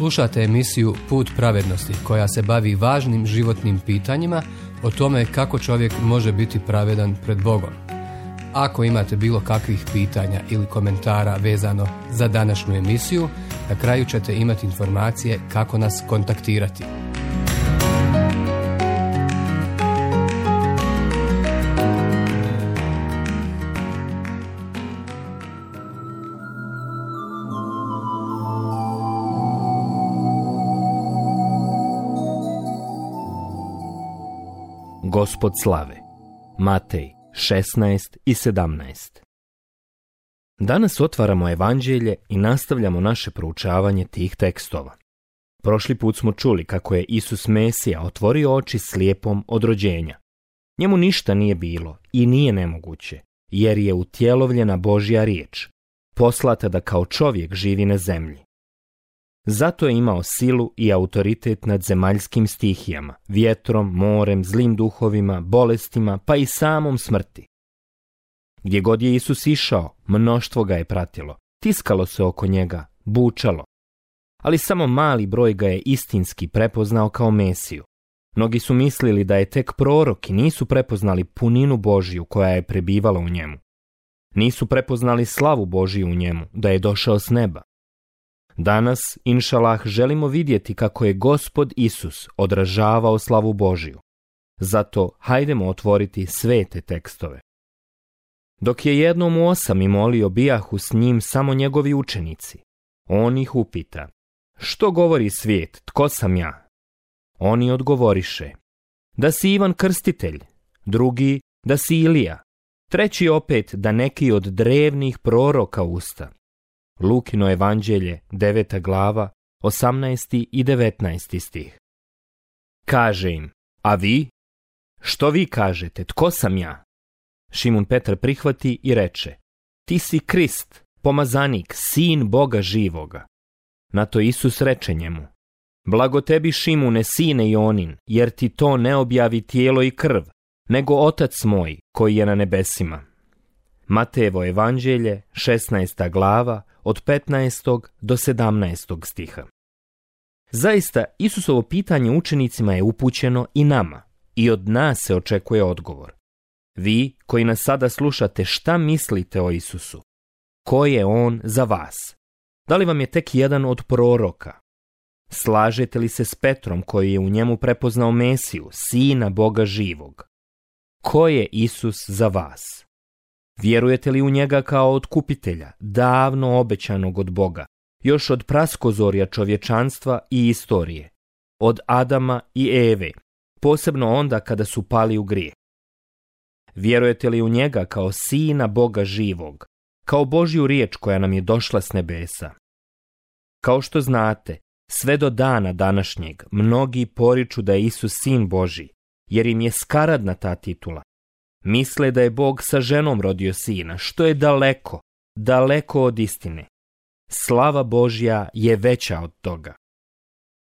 Slušate emisiju Put pravednosti koja se bavi važnim životnim pitanjima o tome kako čovjek može biti pravedan pred Bogom. Ako imate bilo kakvih pitanja ili komentara vezano za današnju emisiju, na kraju ćete imati informacije kako nas kontaktirati. Gospod slave. Matej 16 i 17. Danas otvaramo evanđelje i nastavljamo naše proučavanje tih tekstova. Prošli put smo čuli kako je Isus Mesija otvorio oči slijepom od rođenja. Njemu ništa nije bilo i nije nemoguće, jer je utjelovljena Božja riječ, poslata da kao čovjek živi na zemlji. Zato je imao silu i autoritet nad zemaljskim stihijama, vjetrom, morem, zlim duhovima, bolestima, pa i samom smrti. Gdje god je Isus išao, mnoštvo ga je pratilo, tiskalo se oko njega, bučalo. Ali samo mali broj ga je istinski prepoznao kao Mesiju. Mnogi su mislili da je tek prorok i nisu prepoznali puninu Božju koja je prebivala u njemu. Nisu prepoznali slavu Božju u njemu, da je došao s neba. Danas, inšalah, želimo vidjeti kako je Gospod Isus odražavao slavu Božju. Zato hajdemo otvoriti svete tekstove. Dok je jednom u 8 molio, bijahu s njim samo njegovi učenici. On ih upita: što govori svijet, tko sam ja? Oni odgovoriše: da si Ivan Krstitelj, drugi da si Ilija, treći opet da neki od drevnih proroka usta. Lukino evanđelje, 9. glava, 18. i 19. stih. Kaže im: a vi? Što vi kažete, tko sam ja? Šimun Petar prihvati i reče: ti si Krist, pomazanik, sin Boga živoga. Na to Isus reče njemu: blago tebi, Šimune, sine Jonin, jer ti to ne objavi tijelo i krv, nego Otac moj koji je na nebesima. Matejevo evanđelje, 16. glava, od 15. do 17. stiha. Zaista, Isusovo pitanje učenicima je upućeno i nama, i od nas se očekuje odgovor. Vi, koji nas sada slušate, šta mislite o Isusu? Ko je on za vas? Da li vam je tek jedan od proroka? Slažete li se s Petrom koji je u njemu prepoznao Mesiju, sina Boga živog? Ko je Isus za vas? Vjerujete li u njega kao otkupitelja, davno obećanog od Boga, još od praskozorja čovječanstva i istorije, od Adama i Eve, posebno onda kada su pali u grijeh? Vjerujete li u njega kao sina Boga živog, kao Božju riječ koja nam je došla s nebesa? Kao što znate, sve do dana današnjeg mnogi poriču da je Isus sin Božji, jer im je skaradna ta titula. Misle da je Bog sa ženom rodio sina, što je daleko, daleko od istine. Slava Božja je veća od toga.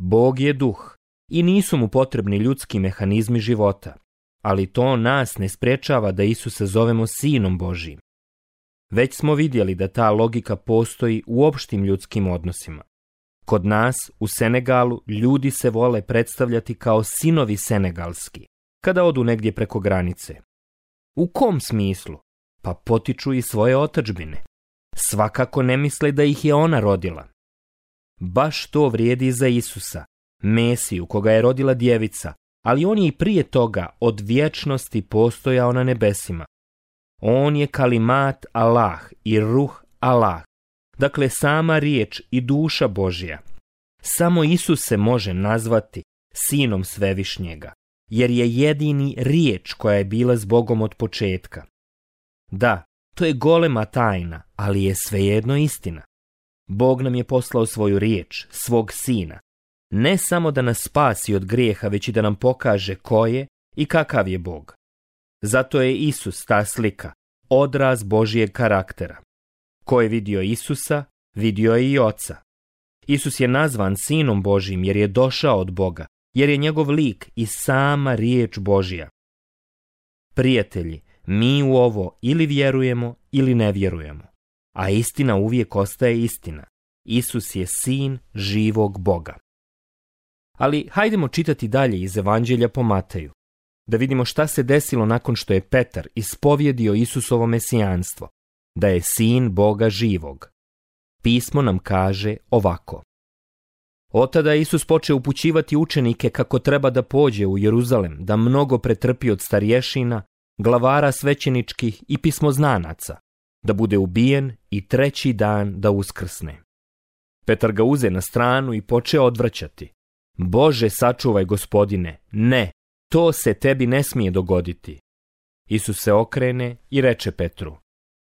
Bog je duh i nisu mu potrebni ljudski mehanizmi života, ali to nas ne sprečava da Isusa zovemo sinom Božjim. Već smo vidjeli da ta logika postoji u opštim ljudskim odnosima. Kod nas, u Senegalu, ljudi se vole predstavljati kao sinovi senegalski, kada odu negdje preko granice. U kom smislu? Pa potiču iz svoje otadžbine. Svakako ne misle da ih je ona rodila. Baš to vrijedi za Isusa, Mesiju koga je rodila djevica, ali on je i prije toga od vječnosti postojao na nebesima. On je kalimat Allah i ruh Allah, dakle sama riječ i duša Božja. Samo Isus se može nazvati sinom Svevišnjega, jer je jedini riječ koja je bila s Bogom od početka. Da, to je golema tajna, ali je svejedno istina. Bog nam je poslao svoju riječ, svog sina, ne samo da nas spasi od grijeha, već i da nam pokaže ko je i kakav je Bog. Zato je Isus ta slika, odraz Božijeg karaktera. Ko je vidio Isusa, vidio je i Oca. Isus je nazvan sinom Božjim jer je došao od Boga, jer je njegov lik i sama riječ Božja. Prijatelji, mi u ovo ili vjerujemo ili ne vjerujemo, a istina uvijek ostaje istina. Isus je sin živog Boga. Ali hajdemo čitati dalje iz Evanđelja po Mateju, da vidimo šta se desilo nakon što je Petar ispovjedio Isusovo mesijanstvo, da je sin Boga živog. Pismo nam kaže ovako. Otada je Isus počeo upućivati učenike kako treba da pođe u Jeruzalem, da mnogo pretrpi od starješina, glavara svećeničkih i pismoznanaca, da bude ubijen i 3. dan da uskrsne. Petar ga uze na stranu i počeo odvraćati. Bože, sačuvaj, Gospodine, ne, to se tebi ne smije dogoditi. Isus se okrene i reče Petru,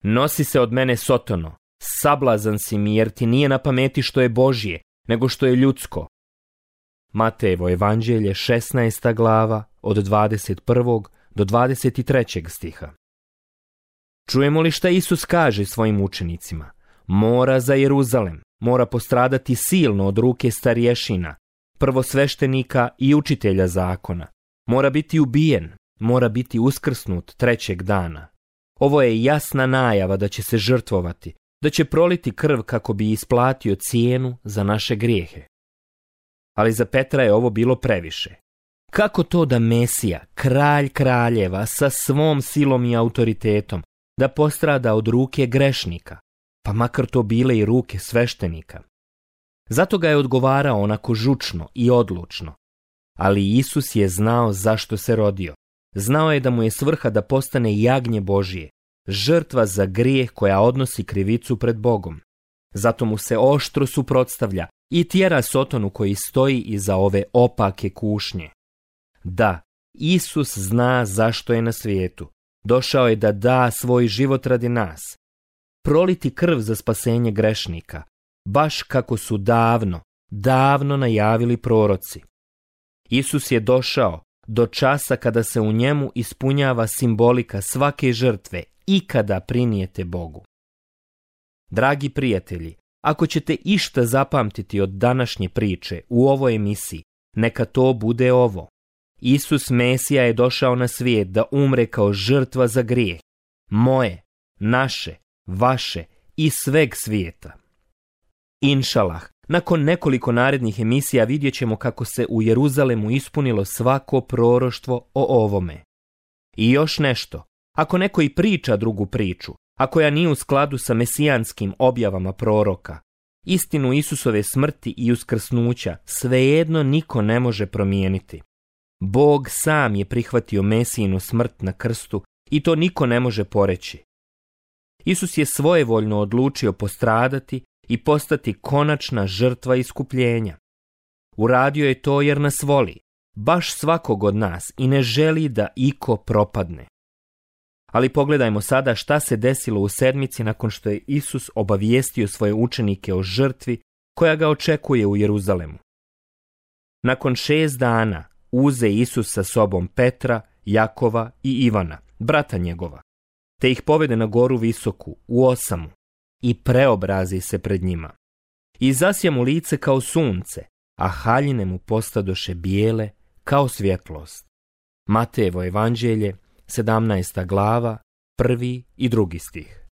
nosi se od mene, Sotono, sablazan si mi jer ti nije na pameti što je Božje, nego što je ljudsko. Matejevo evanđelje 16. glava od 21. do 23. stiha. Čujemo li šta Isus kaže svojim učenicima? Mora za Jeruzalem, mora postradati silno od ruke starješina, prvosveštenika i učitelja zakona. Mora biti ubijen, mora biti uskrsnut 3. dana. Ovo je jasna najava da će se žrtvovati, da će proliti krv kako bi isplatio cijenu za naše grijehe. Ali za Petra je ovo bilo previše. Kako to da Mesija, kralj kraljeva, sa svom silom i autoritetom, da postrada od ruke grešnika, pa makar to bile i ruke sveštenika? Zato ga je odgovarao onako žučno i odlučno. Ali Isus je znao zašto se rodio. Znao je da mu je svrha da postane jagnje Božije, žrtva za grijeh koja odnosi krivicu pred Bogom. Zato mu se oštro suprotstavlja i tjera Sotonu koji stoji iza ove opake kušnje. Da, Isus zna zašto je na svijetu. Došao je da da svoj život radi nas. Proliti krv za spasenje grešnika, baš kako su davno najavili proroci. Isus je došao do časa kada se u njemu ispunjava simbolika svake žrtve ikada prinijete Bogu. Dragi prijatelji, ako ćete išta zapamtiti od današnje priče u ovoj emisiji, neka to bude ovo. Isus Mesija je došao na svijet da umre kao žrtva za grijeh, moje, naše, vaše i sveg svijeta. Inšalah, nakon nekoliko narednih emisija vidjet ćemo kako se u Jeruzalemu ispunilo svako proroštvo o ovome. I još nešto, ako neko i priča drugu priču, a koja nije u skladu sa mesijanskim objavama proroka, istinu Isusove smrti i uskrsnuća svejedno niko ne može promijeniti. Bog sam je prihvatio Mesijinu smrt na krstu i to niko ne može poreći. Isus je svojevoljno odlučio postradati i postati konačna žrtva iskupljenja. Uradio je to jer nas voli, baš svakog od nas, i ne želi da iko propadne. Ali pogledajmo sada šta se desilo u sedmici nakon što je Isus obavijestio svoje učenike o žrtvi koja ga očekuje u Jeruzalemu. Nakon 6 dana uze Isus sa sobom Petra, Jakova i Ivana, brata njegova, te ih povede na goru visoku, u osamu, i preobrazi se pred njima. I zasja mu lice kao sunce, a haljine mu postadoše bijele kao svjetlost. Matejevo evanđelje, 17. glava, 1. i 2. stih.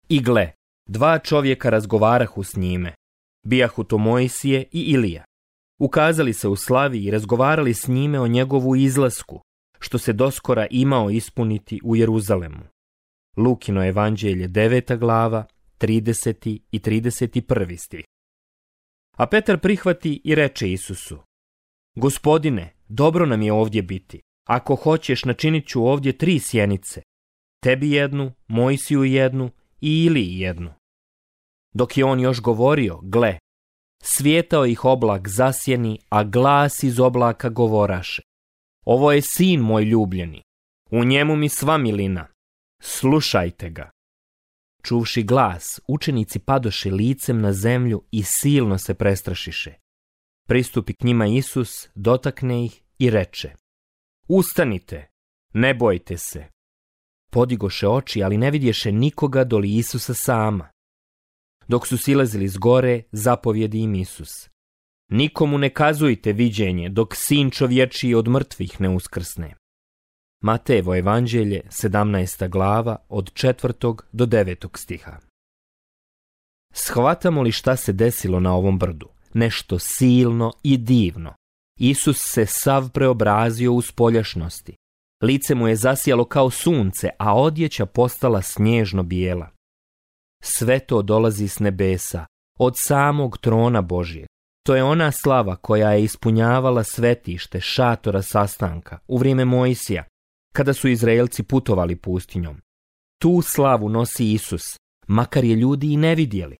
I gle, 2 čovjeka razgovarahu s njime, bijahu to Mojsije i Ilija. Ukazali se u slavi i razgovarali s njime o njegovu izlasku, što se doskora imao ispuniti u Jeruzalemu. Lukino evanđelje 9. glava, 30. i 31. stih. A Petar prihvati i reče Isusu: Gospodine, dobro nam je ovdje biti. Ako hoćeš, načinit ću ovdje 3 sjenice. Tebi jednu, Mojsiju jednu i Iliji jednu. Dok je on još govorio, gle, svijetao ih oblak zasjeni, a glas iz oblaka govoraše: Ovo je sin moj ljubljeni, u njemu mi sva milina, slušajte ga. Čuvši glas, učenici padoše licem na zemlju i silno se prestrašiše. Pristupi k njima Isus, dotakne ih i reče: Ustanite, ne bojte se. Podigoše oči, ali ne vidješe nikoga doli Isusa sama. Dok su silazili s gore, zapovjedi im Isus: Nikomu ne kazujte viđenje dok sin čovječiji od mrtvih ne uskrsne. Matejevo evanđelje, 17. glava, od 4. do 9. stiha. Shvatamo li šta se desilo na ovom brdu? Nešto silno i divno. Isus se sav preobrazio u spoljašnosti. Lice mu je zasijalo kao sunce, a odjeća postala snježno bijela. Sve to dolazi s nebesa, od samog trona Božijeg. To je ona slava koja je ispunjavala svetište šatora sastanka u vrijeme Mojsija, kada su Izraelci putovali pustinjom. Tu slavu nosi Isus, makar je ljudi i ne vidjeli.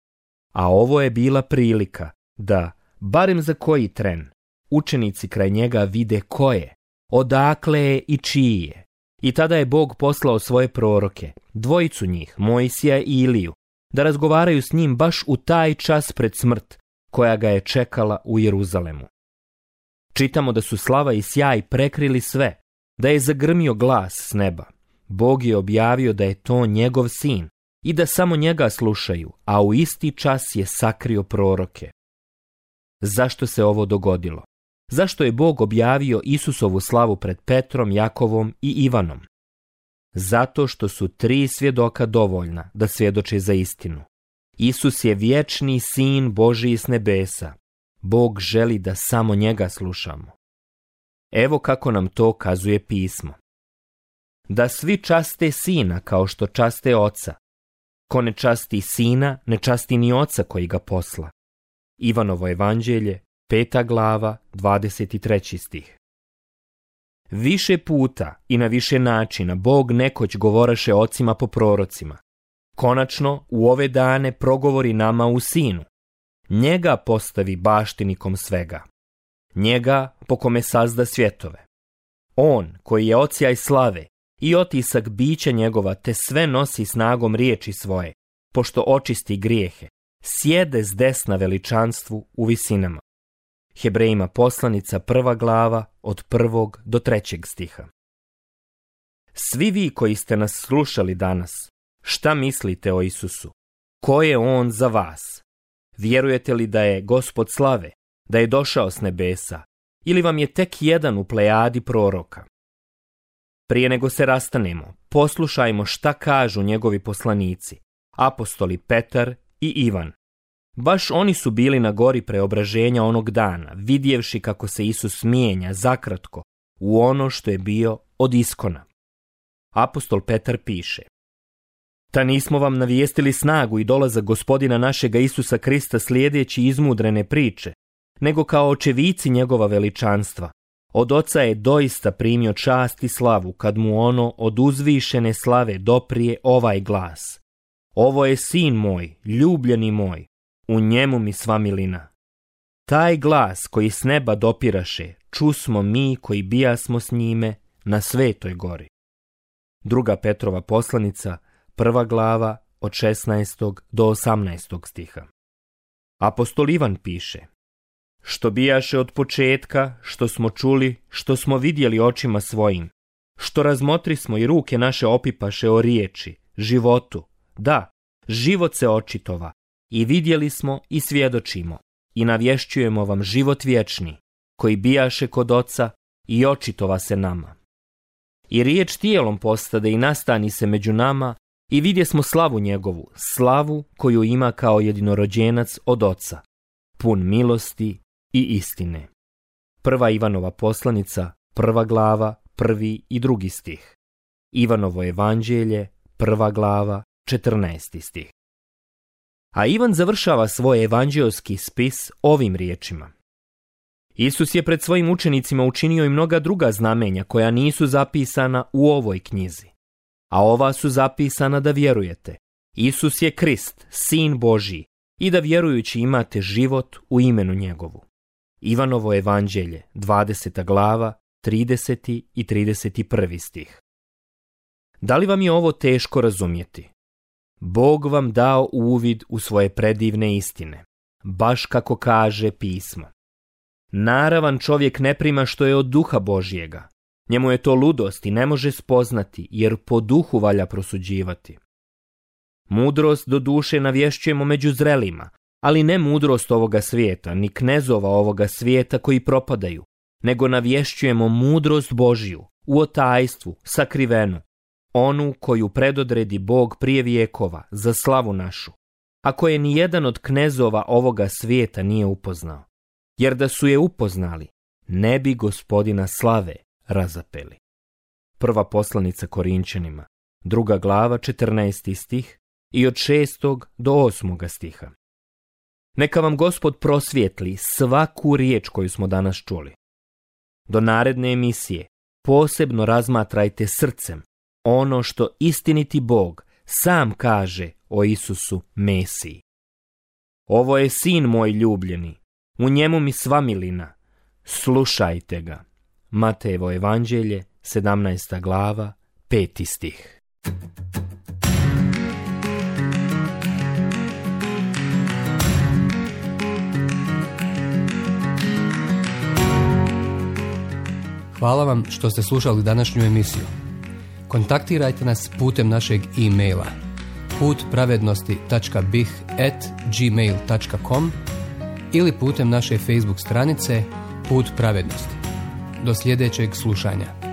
A ovo je bila prilika da, barem za koji tren, učenici kraj njega vide ko je, odakle je i čiji je. I tada je Bog poslao svoje proroke, dvojicu njih, Mojsija i Iliju, da razgovaraju s njim baš u taj čas pred smrt koja ga je čekala u Jeruzalemu. Čitamo da su slava i sjaj prekrili sve, da je zagrmio glas s neba. Bog je objavio da je to njegov sin i da samo njega slušaju, a u isti čas je sakrio proroke. Zašto se ovo dogodilo? Zašto je Bog objavio Isusovu slavu pred Petrom, Jakovom i Ivanom? Zato što su 3 svjedoka dovoljna da svjedoče za istinu. Isus je vječni sin Božiji s nebesa. Bog želi da samo njega slušamo. Evo kako nam to kazuje pismo. Da svi časte sina kao što časte oca. Ko ne časti sina, ne časti ni oca koji ga posla. Ivanovo evanđelje, 5. glava, 23. stih. Više puta i na više načina Bog nekoć govoraše ocima po prorocima. Konačno, u ove dane progovori nama u sinu. Njega postavi baštinikom svega. Njega po kome sazda svjetove. On, koji je ocijaj slave i otisak bića njegova, te sve nosi snagom riječi svoje, pošto očisti grijehe, sjede s desna veličanstvu u visinama. Hebrejima poslanica 1. glava od 1. do 3. stiha. Svi vi koji ste nas slušali danas, šta mislite o Isusu? Ko je on za vas? Vjerujete li da je Gospod slave, da je došao s nebesa, ili vam je tek jedan u plejadi proroka? Prije nego se rastanemo, poslušajmo šta kažu njegovi poslanici, apostoli Petar i Ivan. Baš oni su bili na gori preobraženja onog dana, vidjevši kako se Isus mijenja zakratko u ono što je bio od iskona. Apostol Petar piše: Ta nismo vam navijestili snagu i dolazak Gospodina našega Isusa Krista slijedeći izmudrene priče, nego kao očevici njegova veličanstva. Od Oca je doista primio čast i slavu kad mu ono od uzvišene slave doprije ovaj glas: Ovo je sin moj, ljubljeni moj, u njemu mi sva milina. Taj glas koji s neba dopiraše, čusmo mi koji bijasmo s njime na Svetoj gori. 2. Petrova poslanica, 1. glava od 16. do 18. stiha. Apostol Ivan piše: Što bijaše od početka, što smo čuli, što smo vidjeli očima svojim, što razmotrismo i ruke naše opipaše o riječi, životu, da, život se očitova, i vidjeli smo i svjedočimo, i navješćujemo vam život vječni, koji bijaše kod Oca i očitova se nama. I riječ tijelom postade i nastani se među nama, i vidjesmo slavu njegovu, slavu koju ima kao jedinorođenac od Oca, pun milosti i istine. 1. Ivanova poslanica, 1. glava, 1. i 2. stih. Ivanovo evanđelje, 1. glava, 14. stih. A Ivan završava svoj evanđeoski spis ovim riječima: Isus je pred svojim učenicima učinio i mnoga druga znamenja koja nisu zapisana u ovoj knjizi, a ova su zapisana da vjerujete. Isus je Krist, Sin Božji, i da vjerujući imate život u imenu njegovu. Ivanovo evanđelje, 20. glava, 30. i 31. stih. Da li vam je ovo teško razumjeti? Bog vam dao uvid u svoje predivne istine, baš kako kaže pismo. Naravan čovjek ne prima što je od duha Božjega. Njemu je to ludost i ne može spoznati, jer po duhu valja prosuđivati. Mudrost do duše navješćujemo među zrelima, ali ne mudrost ovoga svijeta, ni knezova ovoga svijeta koji propadaju, nego navješćujemo mudrost Božju, u otajstvu, sakrivenu, onu koju predodredi Bog prije vijekova, za slavu našu, a koje ni jedan od knezova ovoga svijeta nije upoznao, jer da su je upoznali, ne bi Gospodina slave razapeli. Prva poslanica Korinčanima, 2. glava, 14. stih i od 6. do 8. stiha. Neka vam Gospod prosvijetli svaku riječ koju smo danas čuli. Do naredne emisije posebno razmatrajte srcem ono što istiniti Bog sam kaže o Isusu Mesiji. Ovo je sin moj ljubljeni, u njemu mi sva milina, slušajte ga. Matejevo evanđelje, 17. glava, 5. stih. Hvala vam što ste slušali današnju emisiju. Kontaktirajte nas putem našeg e-maila putpravednosti.bih@gmail.com ili putem naše Facebook stranice Put pravednosti. Do sljedećeg slušanja.